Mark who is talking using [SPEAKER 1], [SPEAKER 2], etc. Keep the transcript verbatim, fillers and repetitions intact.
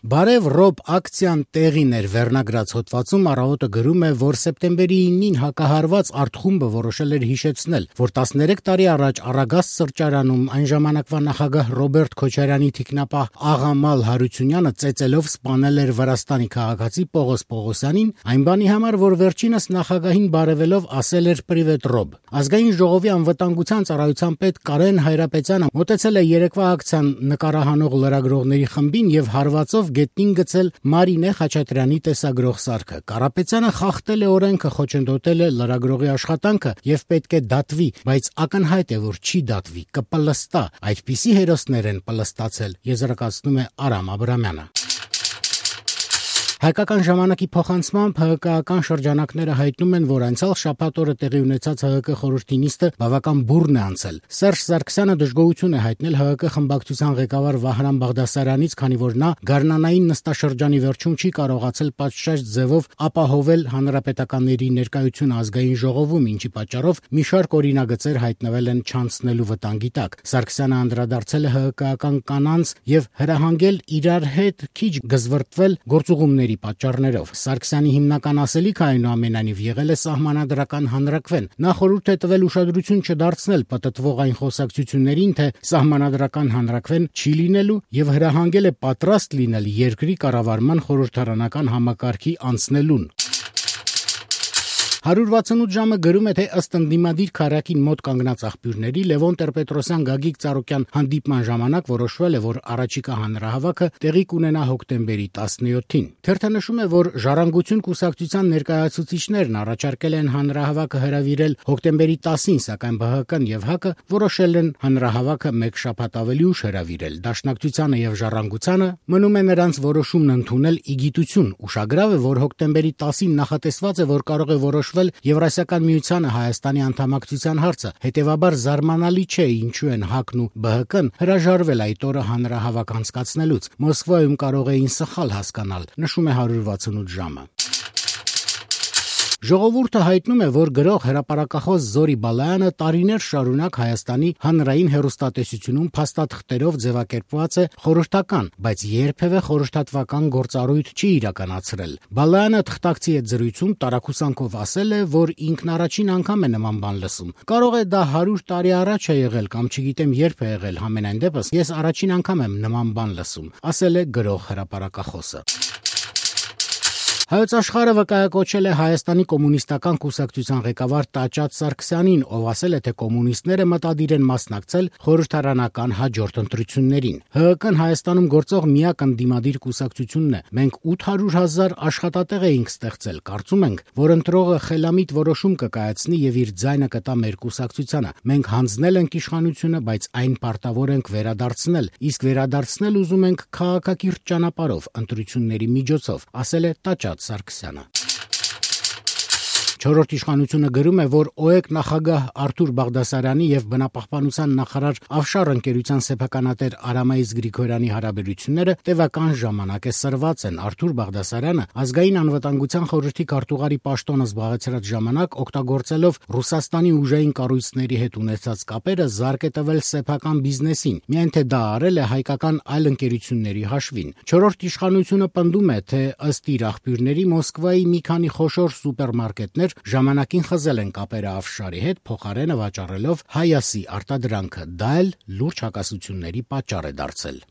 [SPEAKER 1] Բարև Ռոբ ակցիան տեղին էր վերնագրած հոդվածում առավոտը գրում է, որ սեպտեմբերի իննին հակահարված արտխումբը որոշել էր հիշեցնել, որ տասներեք տարի առաջ Արագաստ սրճարանում այն ժամանակվա նախագահ Ռոբերտ Քոչարյանի թիկնապահ Աղամալ Հարությունյանը ծեծելով սպանել էր Վրաստանի քաղաքացի Պողոս Պողոսյանին, այն բանի համար, որ վերջինս նախագահին բարևելով ասել էր «Պրիվետ Ռոբ»։ Ազգային ժողովի անվտանգության ծառայության պետ Կարեն Հայրապետյանը մոտեցել է երեկվա ակցիան նկարահանող լրագրողների խմբին եւ հարվածով գետնին գցել Մարինե Խաչատրյանի տեսագրող սարքը։ Կարապետյանը խախտել է օրենքը, խոչընդոտել է լրագրողի աշխատանքը եւ պետք է դատվի, բայց ակնհայտ է, որ չի դատվի, կպլստա։ Այդպիսի հերոսներ են պլստացել, եզրակացնում է Արամ Աբրամյանը։ Հայկական ժամանակի փոխանցմամբ ՀՀԿ-ական շրջանակները հայտնում են, որ անցյալ շաբաթ օրը տեղի ունեցած ՀՀԿ խորհրդի նիստը բավական բուռն է անցել։ Սերժ Սարգսյանը դժգոհություն է հայտնել ՀՀԿ խմբակցության ղեկավար Վահրամ Բաղդասարյանից, քանի որ նա գարնանային նստաշրջանի վերջում չի կարողացել պատշաճ ձևով ապահովել հանրապետականների ներկայությունը ազգային ժողովում, ինչի պատճառով մի շարք օրինագծեր հայտնվել են չանցնելու վտանգի տակ։ Սարգսյանը անդրադարձել է ՀՀԿ-ական կանանց եւ հրահանգել իրար հետ քիչ գզվրտվել գործուղումների պատճառներով։ Սարգսյանի հիմնական ասելիքը այնուամենայնիվ եղել է սահմանադրական հանրակվեն։ Նա խորհուրդ է տվել ուշադրություն չդարձնել պտտվող այն խոսակցություններին, թե սահմանադրական հանրակվեն չի լինելու եւ հրահանգել է պատրաստ լինել երկրի կառավարման խորհրդարանական համակարգի անցնելուն։ հարյուր վաթսունութ ժամը գրում է, թե ըստ ընդդիմադիր քարակին մոտ կանգնած աղբյուրների Լևոն Տեր-Պետրոսյան Գագիկ Ծառուկյան հանդիպման ժամանակ որոշվել է, որ առաջիկա հանրահավաքը տեղի կունենա հոկտեմբերի տասնյոթին։ Թերթը նշում է, որ Ժառանգություն կուսակցության ներկայացուցիչներն առաջարկել են հանրահավաքը հրավիրել հոկտեմբերի տասին, սակայն ԲՀԿ-ն եւ ՀԱԿ-ը որոշել են հանրահավաքը մեկ շաբաթ ավելի ուշ հրավիրել։ Դաշնակցությանը եւ Ժառանգությանը մնում է նրանց որոշումն ընդունել ի գիտություն։ Ուշագրավ է, որ հոկտեմբերի տասին նախատեսված է, որ կարող է որոշվել Եվրասիական միությանը Հայաստանի անդամակցության հարցը, հետևաբար զարմանալի չէ, ինչու են ՀԱԿ-ն ու ԲՀԿ-ն հրաժարվել այդ օրը հանրահավաք անցկացնելուց։ Մոսկվայում կարող էին սխալ հասկանալ, նշում է հարյուր վաթսունութ ժամը։ Ժողովուրդը հայտնում է, որ գրող հրապարակախոս Զորի Բալայանը տարիներ շարունակ Հայաստանի հանրային հեռուստատեսությունում փաստաթղթերով ձևակերպված է խորհրդական, բայց երբևէ խորհրդատվական գործառույթ չի իրականացրել։ Բալայանը թղթակցի հետ զրույցում տարակուսանքով ասել է, որ ինքն առաջին անգամ է նման բան լսում։ Կարող է դա հարյուր տարի առաջ է եղել կամ չգիտեմ երբ է եղել, համենայն դեպս ես առաջին անգամ եմ նման բան լսում, ասել է գրող հրապարակախոսը։ Հայոց աշխարհը վկայակոչել է Հայաստանի կոմունիստական կուսակցության ղեկավար Տաճատ Սարգսյանին, ով ասել է, թե կոմունիստները մտադիր են մասնակցել խորհրդարանական հաջորդ ընտրություններին։ ՀՀԿ-ն Հայաստանում գործող միակ ընդդիմադիր կուսակցությունն է։ Մենք ութ հարյուր հազար աշխատատեղ էինք ստեղծել։ Կարծում ենք, որ ընտրողը խելամիտ որոշում կկայացնի եւ իր ձայնը կտա մեր կուսակցությանը։ Մենք հանձնել ենք իշխանությունը, բայց այն պարտավոր ենք վերադարձնել, իսկ վերադարձնել ուզում ենք քաղաքակիրթ ճանապարհով, ընտրությունների միջոցով, ասել է Տաճատ Սարգսյանը։ Չորրորդ իշխանությունը գրում է, որ ՕԵԿ նախագահ Արթուր Բաղդասարյանի եւ բնապահպանության նախարար Ավշար ընկերության սեփականատեր Արամայիս Գրիգորյանի հարաբերությունները տևական ժամանակ է սրված են։ Արթուր Բաղդասարյանը ազգային անվտանգության խորհրդի քարտուղարի պաշտոնը զբաղեցրած ժամանակ օգտագործելով Ռուսաստանի ուժային կառույցների հետ ունեցած կապերը զարկ է տվել սեփական բիզնեսին, միայն թե դա արել է հայկական այլ ընկերությունների հաշվին։ Չորրորդ իշխանությունը պնդում է, թե ըստ իր աղբյուրների Մոսկվայի մի քանի խոշոր սուպերմարկետներ ժամանակին խզել են կապերը Ավշարի հետ, փոխարենը վաճառելով հայասի արտադրանքը, դա էլ լուրջ հակասությունների պատճառ է դարձել։